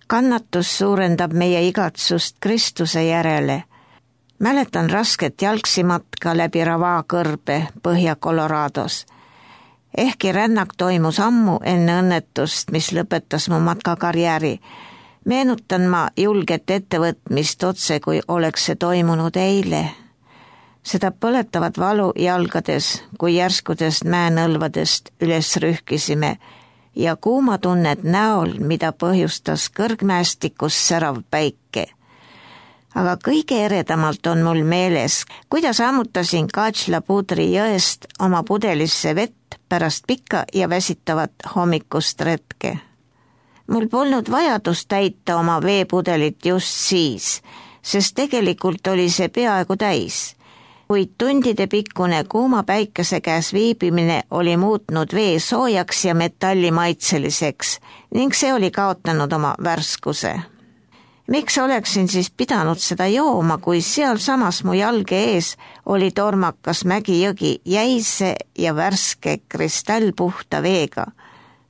Kannatus suurendab meie igatsust Kristuse järele. Mäletan rasket jalgsimatka läbi Rava kõrbe Põhja-Colorados. Ehkki rännak toimus ammu enne õnnetust, mis lõpetas mu matkakarjääri, meenutan ma julget ettevõtmist otse, kui oleks see toimunud eile. Seda põletavat valu jalgades, kui järskudest mäenõlvadest üles rühkisime ja kuumatunnet näol, mida põhjustas kõrgmäestikus särav päike. Aga kõige eredamalt on mul meeles, kuidas ammutasin Katšla-Pudri jõest oma pudelisse vett pärast pikka ja väsitavat hommikust retke. Mul polnud vajadust täita oma veepudelit just siis, sest tegelikult oli see peaaegu täis. Kuid tundide pikkune kuuma päikese käes viibimine oli muutnud vee soojaks ja metallimaitseliseks ning see oli kaotanud oma värskuse. Miks oleksin siis pidanud seda jooma, kui sealsamas mu jalge ees oli tormakas mägijõgi jäise ja värske kristallpuhta veega?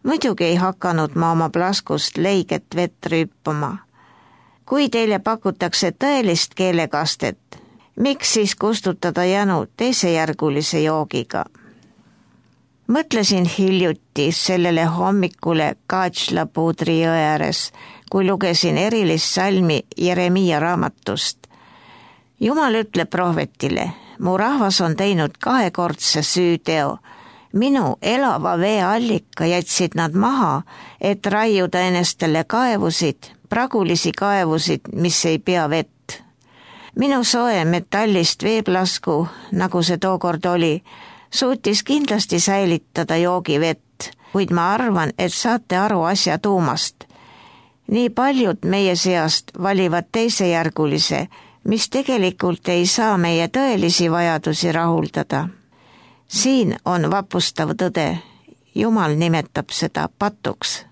Muidugi ei hakanud ma oma plaskust leiget vett rüüpama. Kui teile pakutakse tõelist keelekastet, miks siis kustutada janu teisejärgulise joogiga? Mõtlesin hiljuti sellele hommikule Katšla-Pudri jõe ääres, kui lugesin erilist salmi Jeremiia raamatust. Jumal ütleb prohvetile, mu rahvas on teinud 2-kordse süüteo. Minu elava vee allika jätsid nad maha, et raiuda enestele kaevusid, pragulisi kaevusid, mis ei pea vett. Minu soe metallist veeplasku, nagu see tookord oli, suutis kindlasti säilitada joogivett, kuid ma arvan, et saate aru asja tuumast. Nii paljud meie seast valivad teisejärgulise, mis tegelikult ei saa meie tõelisi vajadusi rahuldada. Siin on vapustav tõde. Jumal nimetab seda patuks.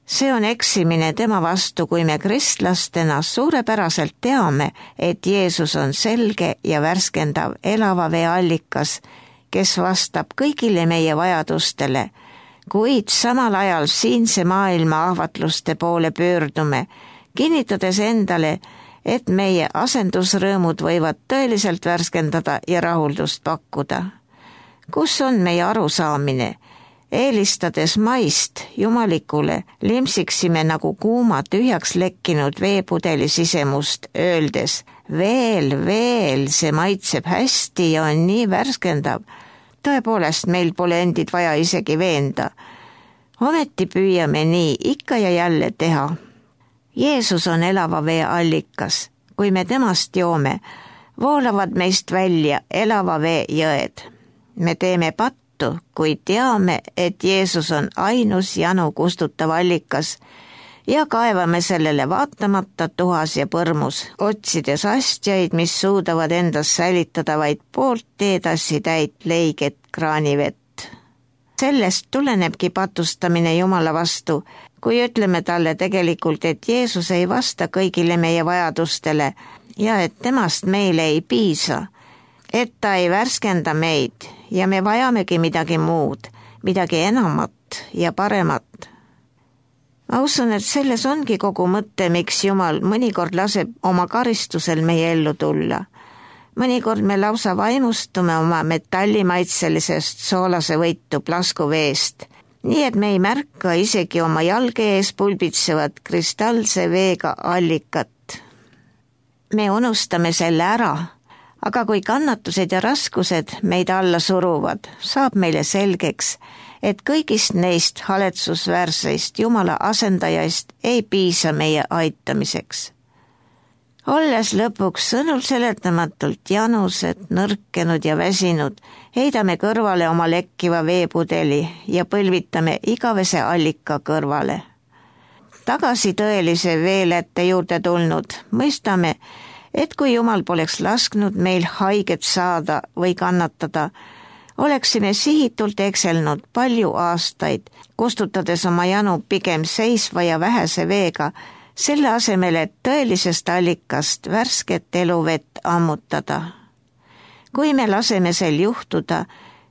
See on eksimine tema vastu, kui me kristlastena suurepäraselt teame, et Jeesus on selge ja värskendav elava vee allikas, kes vastab kõigile meie vajadustele, kuid samal ajal siinse maailma ahvatluste poole pöördume, kinnitades endale, et meie asendusrõõmud võivad tõeliselt värskendada ja rahuldust pakkuda. Kus on meie arusaamine? Eelistades maist jumalikule limsiksime nagu kuuma tühjaks lekkinud veepudeli sisemust, öeldes veel, see maitseb hästi ja on nii värskendav. Tõepoolest, meil pole endid vaja isegi veenda. Ometi püüame nii ikka ja jälle teha. Jeesus on elava vee allikas. Kui me temast joome, voolavad meist välja elava vee jõed. Me teeme pattu, kui teame, et Jeesus on ainus janu kustutav allikas ja kaevame sellele vaatamata tuhas ja põrmus, otsides astjaid, mis suudavad endas säilitada vaid poolt teetassi täit leiget kraanivett. Sellest tulenebki patustamine Jumala vastu, kui ütleme talle tegelikult, et Jeesus ei vasta kõigile meie vajadustele ja et temast meile ei piisa, et ta ei värskenda meid ja me vajamegi midagi muud, midagi enamat ja paremat. Ma usun, et selles ongi kogu mõte, miks Jumal mõnikord laseb oma karistusel meie ellu tulla. Mõnikord me lausa vaimustume oma metallimaitselisest soolase võitu plaskuveest, nii et me ei märka isegi oma jalge ees pulbitsevat kristallse veega allikat. Me unustame selle ära, aga kui kannatused ja raskused meid alla suruvad, saab meile selgeks, et kõigist neist haletsusväärseist Jumala asendajaist ei piisa meie aitamiseks. Olles lõpuks sõnul seletamatult janused, nõrkenud ja väsinud, heidame kõrvale oma lekkiva veepudeli ja põlvitame igavese allika kõrvale. Tagasi tõelise veelätte juurde tulnud, mõistame, et kui Jumal poleks lasknud meil haiget saada või kannatada, oleksime sihitult ekselnud palju aastaid, kustutades oma janu pigem seisva ja vähese veega, selle asemel, et tõelisest allikast värsket eluvett ammutada. Kui me laseme sel juhtuda,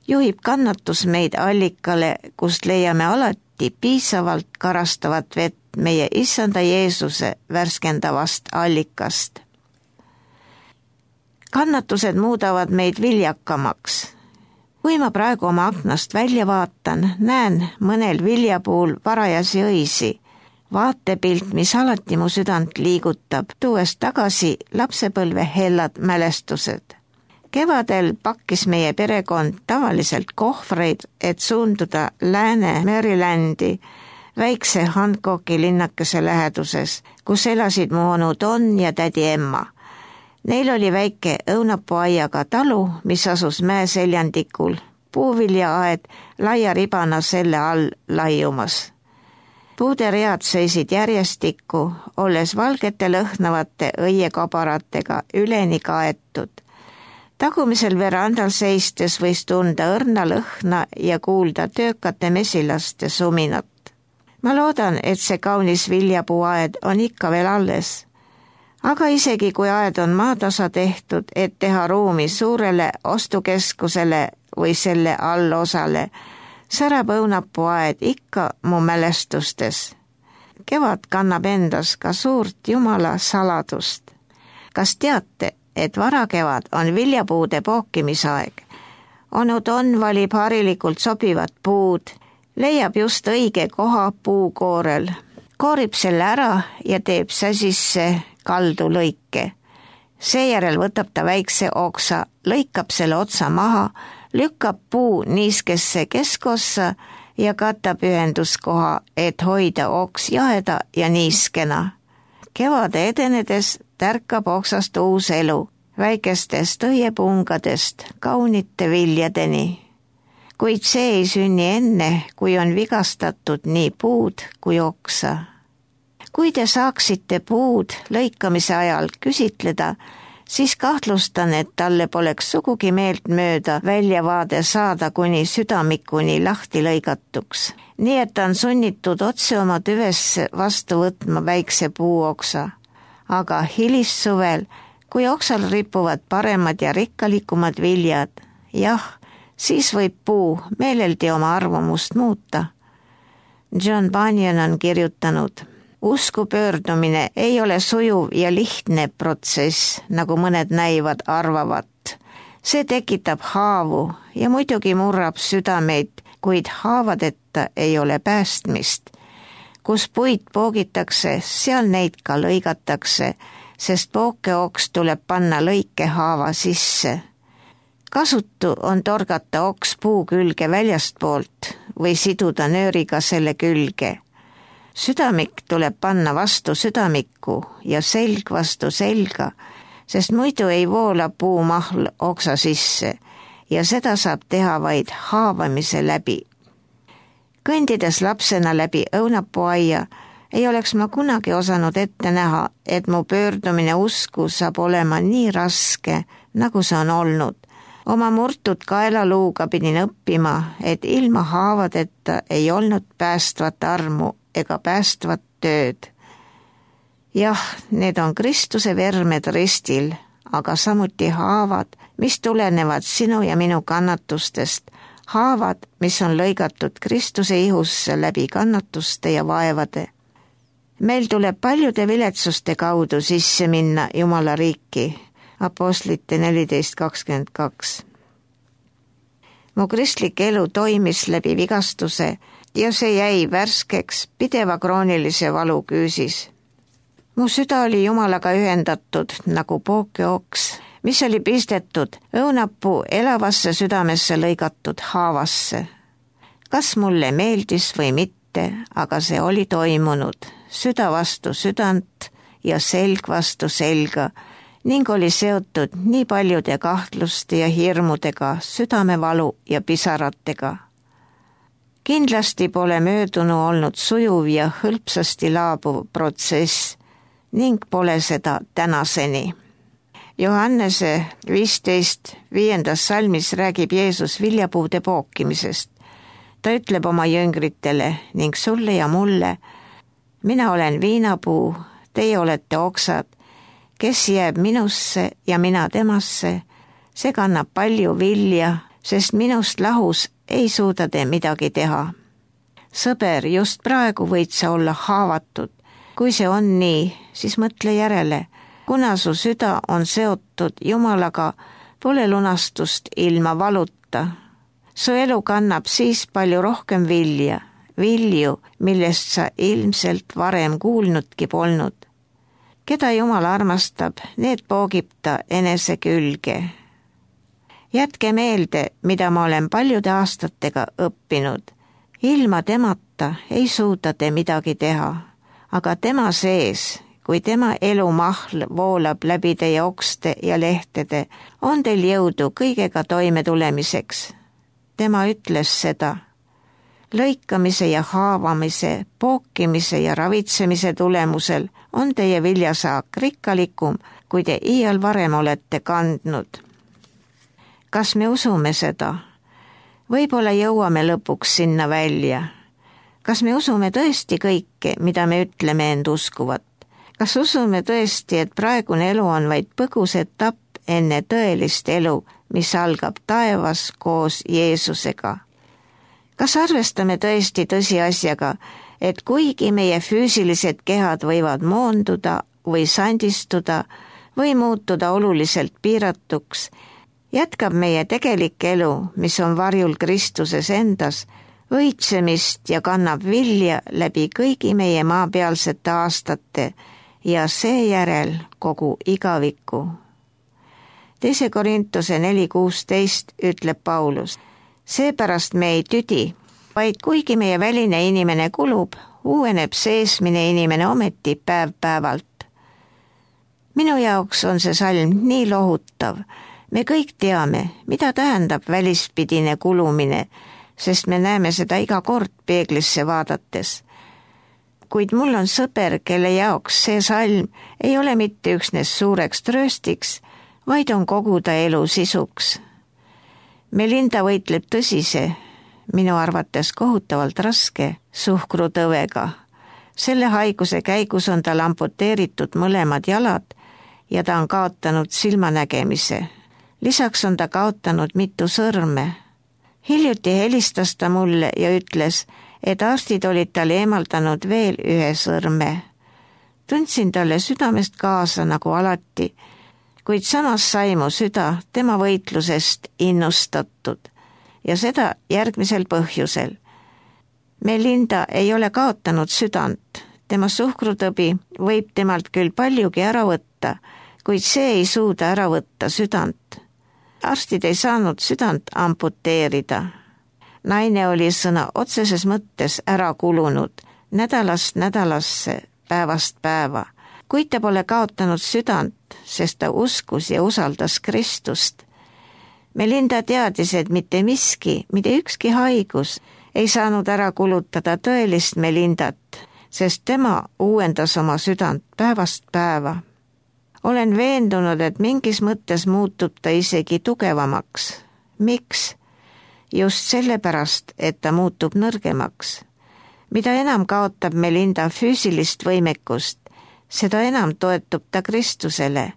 juhib kannatus meid allikale, kust leiame alati piisavalt karastavat vett meie issanda Jeesuse värskendavast allikast. Kannatused muudavad meid viljakamaks. Kui ma praegu oma aknast välja vaatan, näen mõnel viljapuul varajasi õisi. Vaatepilt, mis alati mu südant liigutab, tuues tagasi lapsepõlve hellad mälestused. Kevadel pakkis meie perekond tavaliselt kohvreid, et suunduda Lääne-Marylandi väikse Hancocki linnakese läheduses, kus elasid mu onu Don ja tädi Emma. Neil oli väike õunapuuaiaga talu, mis asus mäeseljandikul, puuviljaaed laia ribana selle all laiumas. Puuderead seisid järjestikku, olles valgete lõhnavate õiekabaratega üleni kaetud. Tagumisel verandal seistes võis tunda õrna lõhna ja kuulda töökate mesilaste suminat. Ma loodan, et see kaunis viljapuuaed on ikka veel alles. Aga isegi kui aed on maatasa tehtud, et teha ruumi suurele ostukeskusele või selle allosale, särab õunapuuaed ikka mu mälestustes. Kevad kannab endas ka suurt Jumala saladust. Kas teate, et varakevad on viljapuude pookimisaeg? Onu Don valib harilikult sobivad puud, leiab just õige koha puukoorel, koorib selle ära ja teeb säsisse kaldu lõike. Seejärel võtab ta väikse oksa, lõikab selle otsa maha, lükkab puu niiskesse keskossa ja katab ühenduskoha, et hoida oks jaheda ja niiskena. Kevade edenedes tärkab oksast uus elu, väikestest õiepungadest kaunite viljadeni. Kuid see ei sünni enne, kui on vigastatud nii puud kui oksa. Kui te saaksite puud lõikamise ajal küsitleda, siis kahtlustan, et talle poleks sugugi meeltmööda väljavaade saada kuni südamikuni lahti lõigatuks. Nii et ta on sunnitud otse oma tüvesse vastu võtma väikse puuoksa. Aga hilissuvel, kui oksal ripuvad paremad ja rikkalikumad viljad, jah, siis võib puu meeleldi oma arvamust muuta. John Bunyan on kirjutanud: usku pöördumine ei ole sujuv ja lihtne protsess, nagu mõned näivad arvavat. See tekitab haavu ja muidugi murrab südameid, kuid haavadeta ei ole päästmist. Kus puid poogitakse, seal neid ka lõigatakse, sest pookeoks tuleb panna lõikehaava sisse. Kasutu on torgata oks puu külge väljastpoolt või siduda nööriga selle külge. Südamik tuleb panna vastu südamikku ja selg vastu selga, sest muidu ei voola puumahl oksa sisse ja seda saab teha vaid haavamise läbi. Kõndides lapsena läbi õunapuuaia ei oleks ma kunagi osanud ette näha, et mu pöördumine usku saab olema nii raske, nagu see on olnud. Oma murtud kaelaluuga pidin õppima, et ilma haavadeta ei olnud päästvat armu ega päästvat tööd. Jah, need on Kristuse vermed ristil, aga samuti haavad, mis tulenevad sinu ja minu kannatustest, haavad, mis on lõigatud Kristuse ihusse läbi kannatuste ja vaevade. Meil tuleb paljude viletsuste kaudu sisse minna Jumala riiki. Apostlite 14:22. Mu kristlik elu toimis läbi vigastuse ja see jäi värskeks pideva kroonilise valu küüsis. Mu süda oli Jumalaga ühendatud nagu pookeoks, mis oli pistetud õunapuu elavasse südamesse lõigatud haavasse. Kas mulle meeldis või mitte, aga see oli toimunud, süda vastu südant ja selg vastu selga, ning oli seotud nii paljude kahtluste ja hirmudega, südamevalu ja pisaratega. Kindlasti pole möödunu olnud sujuv ja hõlpsasti laabuv protsess ning pole seda tänaseni. Johannese 15:5 salmis räägib Jeesus viljapuude pookimisest. Ta ütleb oma jüngritele ning sulle ja mulle: mina olen viinapuu, teie olete oksad. Kes jääb minusse ja mina temasse, see kannab palju vilja, sest minust lahus ei suuda te midagi teha. sõber, just praegu võid sa olla haavatud. Kui see on nii, siis mõtle järele. Kuna su süda on seotud Jumalaga, pole lunastust ilma valuta. Su elu kannab siis palju rohkem vilju, millest sa ilmselt varem kuulnudki polnud. Keda Jumal armastab, need poogib ta enese külge. Jätke meelde, mida ma olen paljude aastatega õppinud. Ilma temata ei suuda te midagi teha, aga tema sees, kui tema elumahl voolab läbi teie okste ja lehtede, on teil jõudu kõigega toime tulemiseks. Tema ütles seda. Lõikamise ja haavamise, pookimise ja ravitsemise tulemusel on teie viljasaak rikkalikum, kui te iial varem olete kandnud. Kas me usume seda? Võib-olla jõuame lõpuks sinna välja. Kas me usume tõesti kõike, mida me ütleme end uskuvat? Kas usume tõesti, et praegune elu on vaid põgus etapp enne tõelist elu, mis algab taevas koos Jeesusega? Kas arvestame tõesti tõsiasjaga, et kuigi meie füüsilised kehad võivad moonduda või sandistuda või muutuda oluliselt piiratuks, jätkab meie tegelik elu, mis on varjul Kristuses endas, õitsemist ja kannab vilja läbi kõigi meie maapealsete aastate ja seejärel kogu igaviku. 2. Korintuse 4:16 ütleb Paulus, seepärast me ei tüdi, vaid kuigi meie väline inimene kulub, uueneb seesmine inimene ometi päev-päevalt. Minu jaoks on see salm nii lohutav. Me kõik teame, mida tähendab välispidine kulumine, sest me näeme seda iga kord peeglisse vaadates. Kuid mul on sõber, kelle jaoks see salm ei ole mitte üksnes suureks trööstiks, vaid on kogu ta elu sisuks. Melinda võitleb tõsise, minu arvates kohutavalt raske suhkrutõvega. Selle haiguse käigus on tal amputeeritud mõlemad jalad ja ta on kaotanud silmanägemise. Lisaks on ta kaotanud mitu sõrme. Hiljuti helistas ta mulle ja ütles, et arstid olid talle eemaldanud veel ühe sõrme. Tundsin talle südamest kaasa nagu alati, kuid samas sai mu süda tema võitlusest innustatud ja seda järgmisel põhjusel. Melinda ei ole kaotanud südant, tema suhkrutõbi võib temalt küll paljugi ära võtta, kuid see ei suuda ära võtta südant. Arstid ei saanud südant amputeerida. Naine oli sõna otseses mõttes ära kulunud, nädalast nädalasse, päevast päeva, kuid ta pole kaotanud südant, sest ta uskus ja usaldas Kristust. Melinda teadis, et mitte miski, mitte ükski haigus ei saanud ära kulutada tõelist Melindat, sest tema uuendas oma südant päevast päeva. Olen veendunud, et mingis mõttes muutub ta isegi tugevamaks. Miks? Just sellepärast, et ta muutub nõrgemaks. Mida enam kaotab Melinda füüsilist võimekust, seda enam toetub ta Kristusele.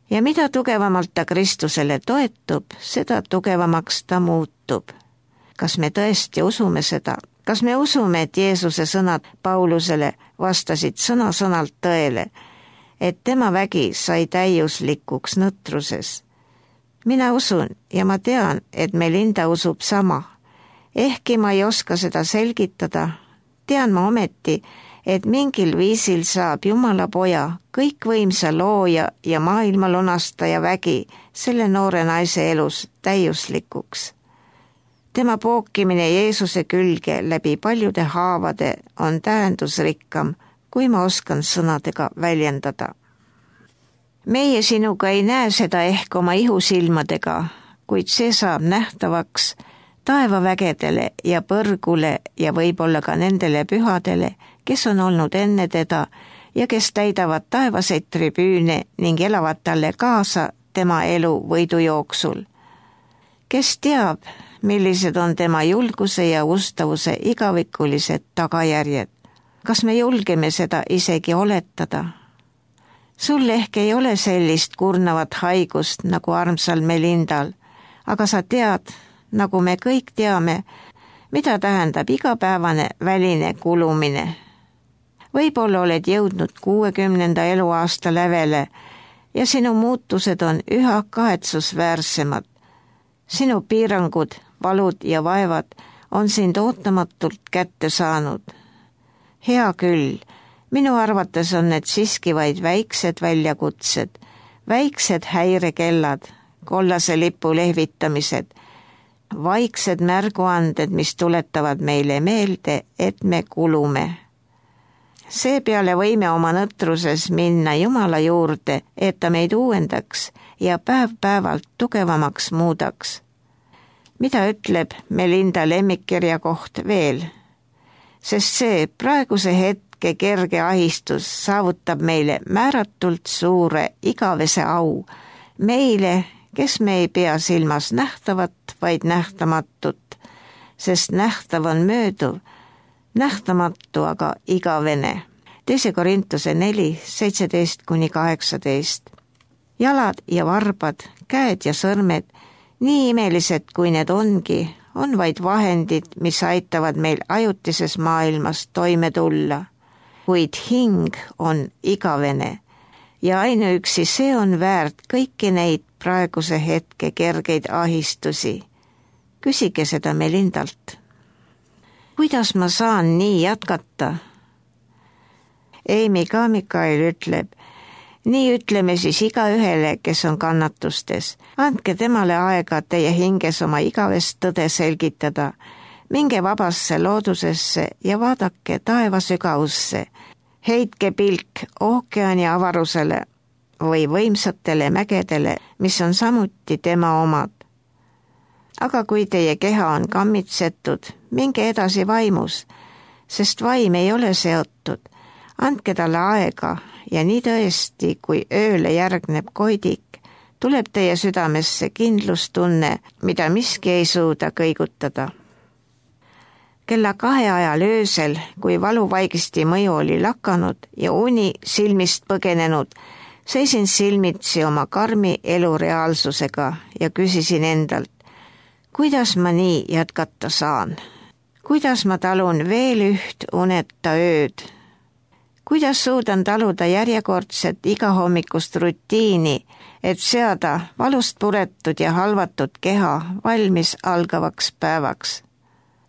Ja mida tugevamalt ta Kristusele toetub, seda tugevamaks ta muutub. Kas me tõesti usume seda? Kas me usume, et Jeesuse sõnad Paulusele vastasid sõna-sõnalt tõele, et tema vägi sai täiuslikuks nõtruses? Mina usun ja ma tean, et Melinda usub sama. Ehkki ma ei oska seda selgitada, tean ma ometi, et mingil viisil saab Jumala poja, kõikvõimsa looja ja maailma lunastaja vägi selle noore naise elus täiuslikuks. Tema pookimine Jeesuse külge läbi paljude haavade on tähendusrikkam, kui ma oskan sõnadega väljendada. Meie sinuga ei näe seda ehk oma ihusilmadega, kuid see saab nähtavaks taevavägedele ja põrgule ja võib-olla ka nendele pühadele, kes on olnud enne teda ja kes täidavad taevaseid tribüüne ning elavad talle kaasa tema elu võidujooksul. Kes teab, millised on tema julguse ja ustavuse igavikulised tagajärjed? Kas me julgeme seda isegi oletada? Sul ehk ei ole sellist kurnavat haigust nagu armsal Melindal, aga sa tead, nagu me kõik teame, mida tähendab igapäevane väline kulumine. Võib-olla oled jõudnud 60. eluaasta lävele ja sinu muutused on üha kahetsusväärsemad. Sinu piirangud, valud ja vaevad on sind ootamatult kätte saanud. Hea küll, minu arvates on need siiski vaid väiksed väljakutsed, väiksed häirekellad, kollase lipu lehvitamised, vaiksed märguanded, mis tuletavad meile meelde, et me kulume. Seepeale võime oma nõtruses minna Jumala juurde, et ta meid uuendaks ja päev-päevalt tugevamaks muudaks. Mida ütleb Melinda lemmikkirja koht veel? Sest see praeguse hetke kerge ahistus saavutab meile määratult suure igavese au, meile, kes me ei pea silmas nähtavat, vaid nähtamatut, sest nähtav on mööduv, nähtamatu aga igavene. 2 Korintuse 4, 17-18. Jalad ja varbad, käed ja sõrmed, nii imelised kui need ongi, on vaid vahendid, mis aitavad meil ajutises maailmas toime tulla. Kuid hing on igavene ja ainuüksi see on väärt kõiki neid praeguse hetke kergeid ahistusi. Küsige seda Melindalt. Kuidas ma saan nii jätkata? Amy Kamikael ütleb, nii ütleme siis igaühele, kes on kannatustes. Andke temale aega teie hinges oma igavest tõde selgitada. Minge vabasse loodusesse ja vaadake taeva sügavusse. Heitke pilk ookeani avarusele või võimsatele mägedele, mis on samuti tema omad. Aga kui teie keha on kammitsetud, minge edasi vaimus, sest vaim ei ole seotud. Andke talle aega ja nii tõesti, kui ööle järgneb koidik, tuleb teie südamesse kindlustunne, mida miski ei suuda kõigutada. Kella 2 ajal öösel, kui valuvaigisti mõju oli lakanud ja uni silmist põgenenud, seisin silmitsi oma karmi elu reaalsusega ja küsisin endalt, kuidas ma nii jätkata saan? Kuidas ma talun veel üht uneta ööd? Kuidas suudan taluda järjekordset igahommikust rutiini, et seada valust puretud ja halvatud keha valmis algavaks päevaks?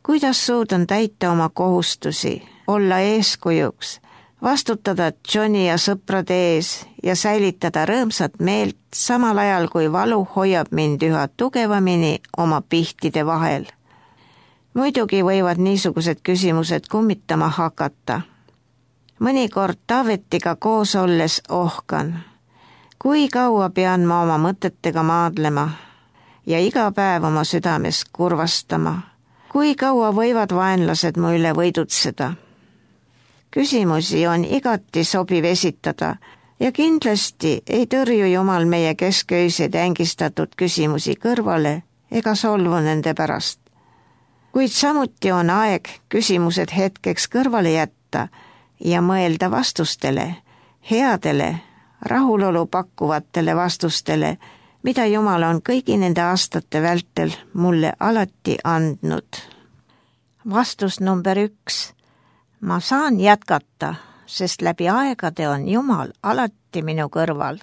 Kuidas suudan täita oma kohustusi, olla eeskujuks, vastutada Johnny ja sõprade ees ja säilitada rõõmsat meelt samal ajal, kui valu hoiab mind üha tugevamini oma pihtide vahel? Muidugi võivad niisugused küsimused kummitama hakata. Mõnikord Taavetiga koos olles ohkan. Kui kaua pean ma oma mõtetega maadlema ja iga päev oma südames kurvastama? Kui kaua võivad vaenlased mu üle võidutseda? Küsimusi on igati sobiv esitada ja kindlasti ei tõrju Jumal meie kesköiseid ängistatud küsimusi kõrvale ega solvu nende pärast. Kuid samuti on aeg küsimused hetkeks kõrvale jätta ja mõelda vastustele, headele, rahulolu pakkuvatele vastustele, mida Jumal on kõigi nende aastate vältel mulle alati andnud. Vastus number 1. Ma saan jätkata, sest läbi aegade on Jumal alati minu kõrval.